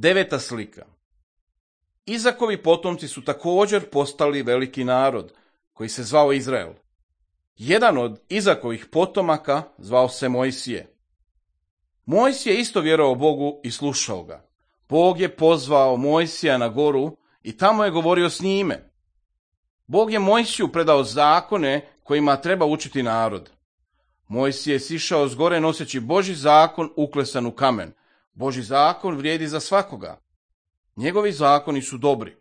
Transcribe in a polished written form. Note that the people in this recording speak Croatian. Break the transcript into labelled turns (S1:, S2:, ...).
S1: 9. slika. Izakovi potomci su također postali veliki narod, koji se zvao Izrael. Jedan od Izakovih potomaka zvao se Mojsije. Mojsije isto vjerovao Bogu i slušao ga. Bog je pozvao Mojsija na goru i tamo je govorio s njime. Bog je Mojsiju predao zakone kojima treba učiti narod. Mojsije je sišao s gore noseći Božji zakon uklesan u kamen. Božji zakon vrijedi za svakoga. Njegovi zakoni su dobri.